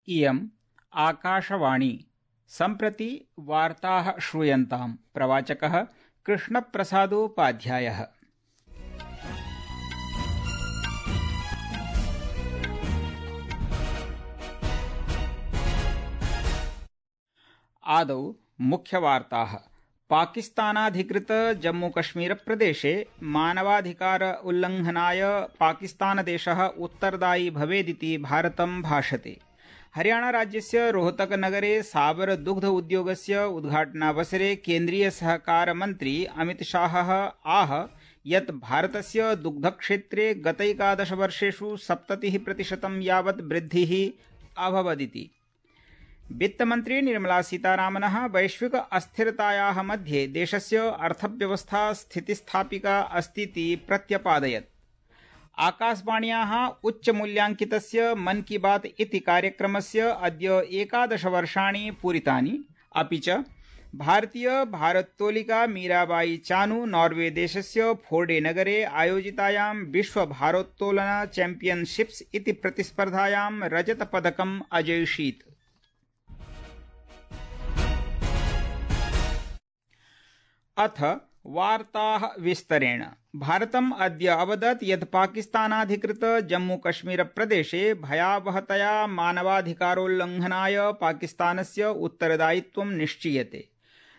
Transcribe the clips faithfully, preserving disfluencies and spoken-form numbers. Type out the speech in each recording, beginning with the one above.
इयम् आकाशवाणी। सम्प्रति वार्ताः श्रूयन्ताम्। प्रवाचकः कृष्णप्रसादोपाध्यायः। आदौ मुख्यवार्ताः। पाकिस्तानाधिकृत जम्मूकश्मीरप्रदेशे मानवाधिकार उल्लङ्घनाय पाकिस्तानदेशः उत्तरदायी भवेदिति भारतं भाषते। हरियाणाराज्यस्य रोहतकनगरे साबर दुग्ध उद्योगस्य उद्घाटनावसरे केन्द्रीयसहकारमन्त्री अमितशाहः आह यत् भारतस्य दुग्धक्षेत्रे गतैकादशवर्षेषु सप्ततिः प्रतिशतं यावत् वृद्धिः अभवदिति। वित्तमन्त्री निर्मला सीतारामनः वैश्विक अस्थिरतायाः मध्ये देशस्य अर्थव्यवस्था स्थितिस्थापिका अस्तीति प्रत्यपादयत्। आकाशवाण्याः उच्चमूल्याङ्कितस्य मन की बात इति कार्यक्रमस्य अद्य एकादशवर्षाणि पूरितानि। अपि च भारतीय भारोत्तोलिका मीराबाई चानू नॉर्वे देशस्य फोर्डे नगरे आयोजितायां विश्व भारोत्तोलन चैम्पियनशिप्स इति प्रतिस्पर्धायां रजतपदकम् अजयिषीत्। अथ वार्ताः विस्तरेण। भारतम् अद्य अवदत् यत् पाकिस्तानाधिकृत जम्मूकश्मीरप्रदेशे भयावहतया मानवाधिकारोल्लङ्घनाय पाकिस्तानस्य उत्तरदायित्वं निश्चीयते।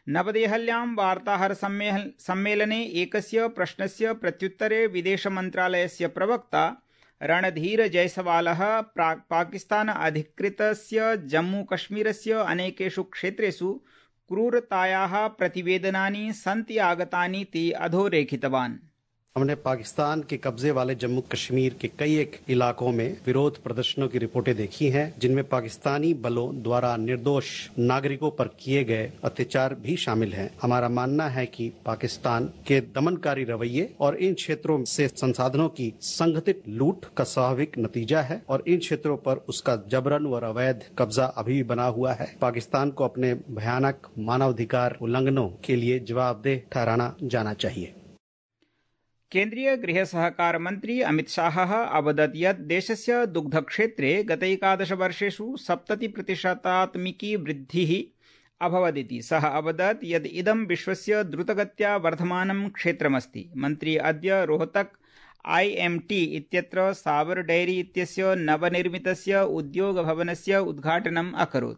नवदेहल्यां वार्ताहरसम्मेलने एकस्य प्रश्नस्य प्रत्युत्तरे विदेशमन्त्रालयस्य प्रवक्ता रणधीर जयसवालः पाकिस्तान अधिकृतस्य जम्मूकश्मीरस्य अनेकेषु क्षेत्रेषु क्रूरतायाः प्रतिवेदनानि सन्ति आगतानीति अधोरेखितवान्। हमने पाकिस्तान के कब्जे वाले जम्मू कश्मीर के कई एक इलाकों में विरोध प्रदर्शनों की रिपोर्टें देखी हैं, जिनमें पाकिस्तानी बलों द्वारा निर्दोष नागरिकों पर किए गए अत्याचार भी शामिल हैं। हमारा मानना है कि पाकिस्तान के दमनकारी रवैये और इन क्षेत्रों से संसाधनों की संगठित लूट का स्वाभाविक नतीजा है और इन क्षेत्रों पर उसका जबरन और अवैध कब्जा अभी भी बना हुआ है। पाकिस्तान को अपने भयानक मानवाधिकार उल्लंघनों के लिए जवाबदेह ठहराना जाना चाहिए। केन्द्रीय गृह सहकार मन्त्री अमितशाहः अवदत् यत् देशस्य दुग्धक्षेत्रे गतैकादशवर्षेषु सप्ततिप्रतिशतात्मिकी वृद्धिः अभवदिति। सः अवदत् यत् इदं विश्वस्य द्रुतगत्या वर्धमानं क्षेत्रमस्ति। मन्त्री अद्य रोहतक आई एम टी इत्यत्र सावर डैरी इत्यस्य नवनिर्मितस्य उद्योगभवनस्य उद्घाटनम् अकरोत्।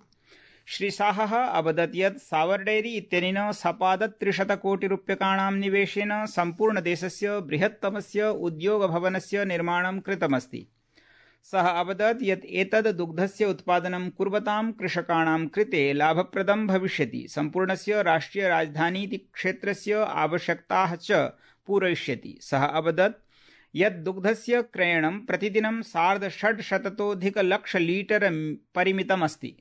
श्रीशाहः अवदत् यत् सावर डैरी इत्यनेन सपादत्रिशतकोटिरूप्यकाणां निवेशेन सम्पूर्णदेशस्य बृहत्तमस्य उद्योगभवनस्य निर्माणं कृतमस्ति। सः अवदत् यत् एतद् दुग्धस्य उत्पादनं कुर्वतां कृषकाणां कृते लाभप्रदं भविष्यति, सम्पूर्णस्य राष्ट्रियराजधानीति क्षेत्रस्य आवश्यकताः च पूरयिष्यति। सः अवदत् यत् दुग्धस्य क्रयणं प्रतिदिनं सार्धषड्शततोऽधिकलक्ष लीटर परिमितमस्ति।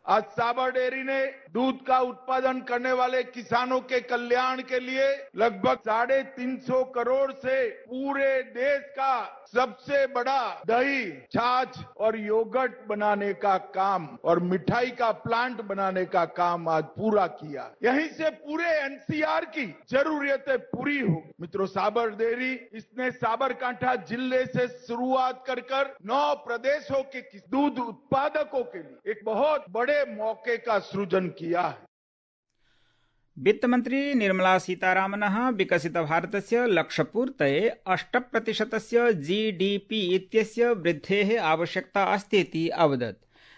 आज साबर डेयरी ने दूध का उत्पादन करने वाले किसानों के कल्याण के लिए लगभग साढ़े तीन सौ करोड़ से पूरे देश का सबसे बड़ा दही, छाछ और योगर्ट बनाने का काम और मिठाई का प्लांट बनाने का काम आज पूरा किया। यहीं से पूरे एन सी आर की जरूरतें पूरी होगी। मित्रों, साबर डेयरी इसने साबरकांठा जिले से शुरुआत कर कर नौ प्रदेशों के दूध उत्पादकों के लिए एक बहुत बड़े मौके का सृजन किया है। वित्तमन्त्री निर्मला सीतारामनः विकसितभारतस्य लक्ष्यपूर्तये अष्टप्रतिशतस्य जी डी पी इत्यस्य वृद्धेः आवश्यकता अस्तीति अवदत्।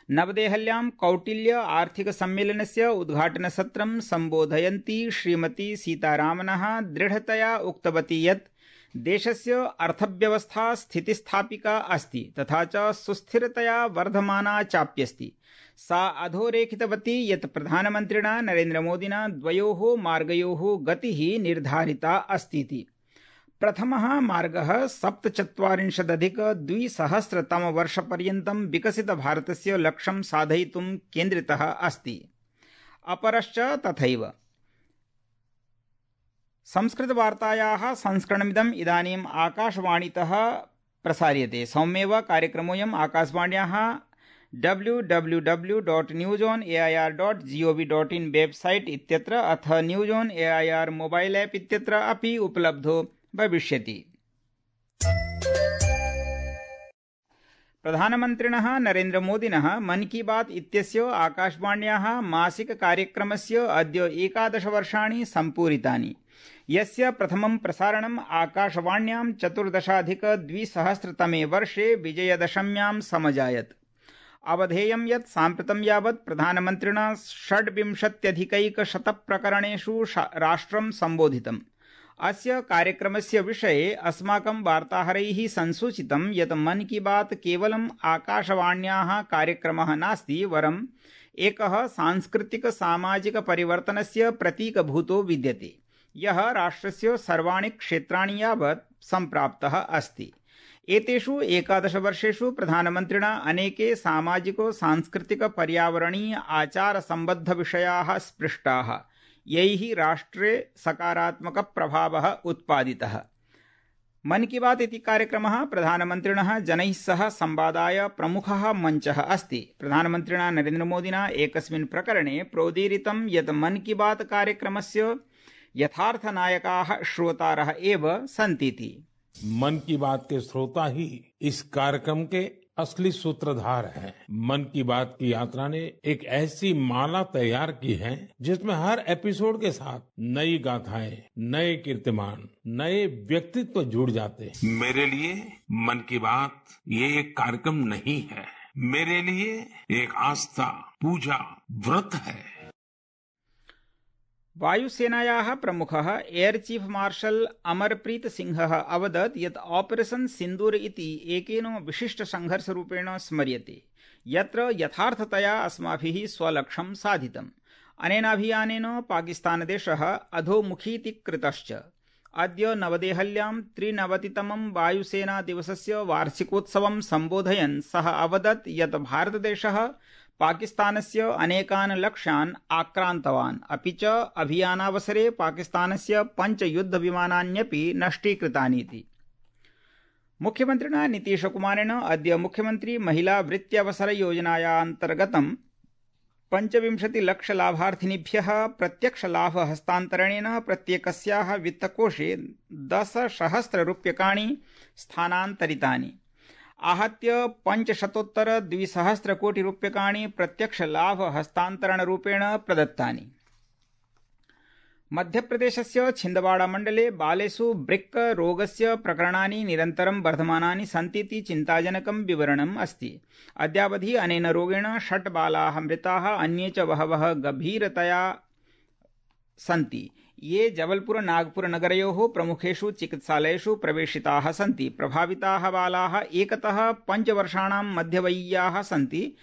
नवदेहल्यां कौटिल्य आर्थिकसम्मेलनस्य उद्घाटनसत्रं सम्बोधयन्ती श्रीमती सीतारामनः दृढतया उक्तवती यत् देशस्य अर्थव्यवस्था स्थितिस्थापिका अस्ति तथा च सुस्थिरतया वर्धमाना चाप्यस्ति। सा अधोरेखितवती यत् प्रधानमन्त्रिणा नरेन्द्रमोदिना द्वयोः मार्गयोः गतिः निर्धारिता अस्तीति। प्रथमः मार्गः सप्तचत्वारिंशदधिक द्विसहस्रतमवर्षपर्यन्तं विकसितभारतस्य लक्ष्यं साधयितुं केन्द्रितः अस्ति। अपरश्च तथैव। संस्कृतवार्तायाः संस्करणमिदम् इदानीम् आकाशवाणीतः प्रसार्यते। सौम्येव कार्यक्रमोऽयम् आकाशवाण्याः W W W dot news on A I R dot G O V dot in website इत्यत्र अथ news on A I R mobile app इत्यत्र अपि उपलब्धो भविष्यति। प्रधानमन्त्रिणः नरेन्द्रमोदिनः मन की बात इत्यस्य आकाशवाण्याः मासिक कार्यक्रमस्य अद्य एकादश वर्षाणि सम्पूरितानि, यस्य प्रथमं प्रसारणम् आकाशवाण्यां चतुर्दशाधिकद्विसहस्रतमे वर्षे विजयदशम्यां समजायत्। अवधेयं यत् साम्प्रतं यावत् प्रधानमन्त्रिणा षड्विंशत्यधिकैकशतप्रकरणेषु राष्ट्रं सम्बोधितम्। अस्य कार्यक्रमस्य विषये अस्माकं वार्ताहरैः संसूचितं यत् मन की बात केवलम् आकाशवाण्याः कार्यक्रमः नास्ति, वरम् एकः सांस्कृतिक सामाजिक परिवर्तनस्य प्रतीकभूतो विद्यते, यः राष्ट्रस्य सर्वाणि क्षेत्राणि यावत् सम्प्राप्तः अस्ति। एतेषु एकादश वर्षेषु प्रधानमन्त्रिणा अनेके सामाजिको सांस्कृतिक पर्यावरणीय आचार सम्बद्ध विषयाः स्पृष्टाः, यैः राष्ट्रे सकारात्मक प्रभावः उत्पादितः। मन की बात इति कार्यक्रमः प्रधानमन्त्रिणः जनैः सह संवादाय प्रमुखः मञ्चः अस्ति। प्रधानमन्त्रिणा नरेन्द्रमोदिना एकस्मिन् प्रकरणे प्रोदीरितं यत् मन की बात कार्यक्रमस्य यथार्थनायकाः श्रोतारः एव सन्तीति। मन की बात के श्रोता ही इस कार्यक्रम के असली सूत्रधार हैं। मन की बात की यात्रा ने एक ऐसी माला तैयार की है जिसमें हर एपिसोड के साथ नई गाथाएं, नए कीर्तिमान, नए व्यक्तित्व जुड़ जाते हैं। मेरे लिए मन की बात ये एक कार्यक्रम नहीं है, मेरे लिए एक आस्था, पूजा, व्रत है। वायुसेनायाः प्रमुखः एयर चीफ मार्शल अमरप्रीत सिंहः अवदत् यत् ऑपरेशन सिन्दूर इति एकेन विशिष्टसंघर्षरूपेण स्मर्यते, यत्र यथार्थतया अस्माभिः स्वलक्ष्यं साधितम्। अनेनाभियानेन पाकिस्तानदेशः अधोमुखीति कृतश्च। अद्य नवदेहल्यां त्रिनवतितमं वायुसेना दिवसस्य वार्षिकोत्सवं सम्बोधयन् सः अवदत् यत् भारतदेशः पाकिस्तानस्य अनेकान् लक्ष्यान् आक्रान्तवान्, अपि च अभियानावसरे पाकिस्तानस्य पञ्च युद्धविमानान्यपि नष्टीकृतानीति। मुख्यमन्त्रिणा नीतीशकुमारेण अद्य मुख्यमन्त्री महिला वृत्त्यवसर योजनायान्तर्गतं पञ्चविंशतिलक्षलाभार्थिनीभ्यः प्रत्यक्षलाभ हस्तान्तरणेन प्रत्येकस्याः वित्तकोषे दशसहस्ररूप्यकाणि स्थानान्तरितानि। आहत्य पञ्चशतोत्तर द्विसहस्रकोटिरूप्यकाणि प्रत्यक्षलाभ हस्तान्तरणरूपेण प्रदत्तानि। मध्यप्रदेशस्य छिन्दवाड़ा मण्डले बालेषु ब्रिक् रोगस्य प्रकरणानि निरन्तरं वर्धमानानि सन्तीति चिन्ताजनकं विवरणम् अस्ति। अद्यावधि अनेन रोगेण षट् बालाः मृताः, अन्ये च बहवः गभीरतया सन्ति, ये जबलपुर नागपुर नगरयोः प्रमुखेषु चिकित्सालयेषु प्रवेशिताः सन्ति। प्रभाविताः बालाः एकतः पञ्चवर्षाणां मध्यवयीयाः सन्ति।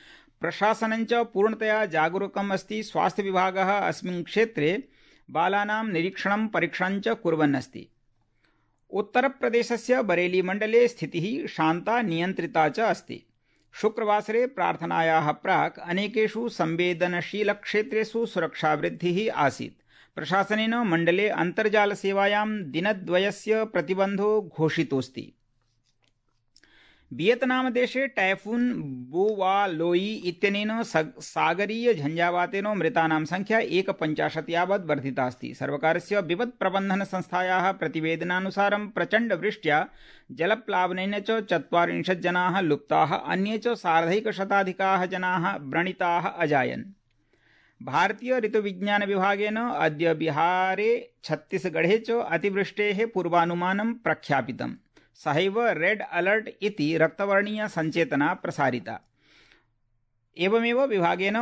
प्रशासनं च पूर्णतया जागरूकम् अस्ति। स्वास्थ्यविभागः अस्मिन् क्षेत्रे बालानां निरीक्षणं परीक्षणं च कुर्वन् अस्ति। उत्तरप्रदेशस्य बरेली मण्डले स्थितिः शान्ता नियन्त्रिता च अस्ति। शुक्रवासरे प्रार्थनायाः प्राक् अनेकेषु संवेदनशीलक्षेत्रेषु सुरक्षावृद्धिः आसीत्। प्रशासनेन मण्डले अन्तर्जालसेवायां दिनद्वयस्य प्रतिबन्धो घोषितोऽस्ति। वियतनामदेशे टाइफून बोवालोई इत्यनेन सागरीय झञ्झावातेन मृतानां संख्या एकपञ्चाशत् यावत् वर्धिता अस्ति। सर्वकारस्य विपत् प्रबन्धन संस्थायाः प्रतिवेदनानुसारं प्रचण्डवृष्ट्या जलप्लावनेन च चत्वारिंशत् जनाः लुप्ताः, अन्ये च सार्धैकशताधिकाः जनाः व्रणिताः अजायन्। भारतीय ऋतुविज्ञान विभागेन अद्य बिहारे छत्तीसगढ़े च अतिवृष्टेः पूर्वानुमानं प्रख्यापितम्। सहैव रेड अलर्ट इति रक्तवर्णीय संचेतना प्रसारिता। एवमेव विभागेन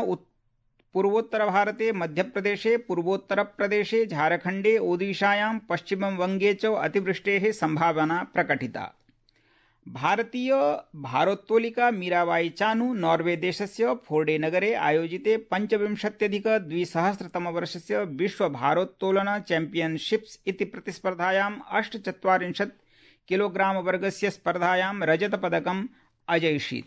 पूर्वोत्तरभारते मध्यप्रदेशे, पूर्वोत्तरप्रदेशे, झारखण्डे, ओडिशायां, पश्चिमवङ्गे च अतिवृष्टेः संभावना प्रकटिता। भारतीय भारोत्तोलिका मीराबाई चानू नॉर्वे देशस्य फोर्डे नगरे आयोजिते पञ्चविंशत्यधिक द्विसहस्रतमवर्षस्य विश्व भारोत्तोलन चैम्पियनशिप्स इति प्रतिस्पर्धायाम् अष्टचत्वारिंशत् किलोग्राम वर्गस्य स्पर्धायां रजतपदकम् अजयिषीत्।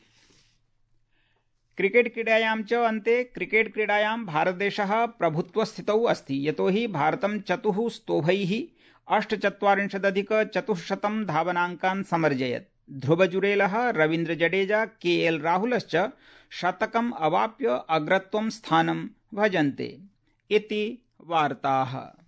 क्रिकेट क्रीडायां च अन्ते क्रिकेट क्रीडायां भारतदेशः प्रभुत्वस्थितौ अस्ति, यतोहि भारतं चतुः स्तोभैः अष्टचत्वारिंशदधिक चतुःशतं धावनाङ्कान् समर्जयत्। ध्रुवजुरेलः, रवीन्द्र जडेजा, के एल राहुलश्च शतकम् अवाप्य अग्रत्वं स्थानं भजन्ते। इति वार्ताः।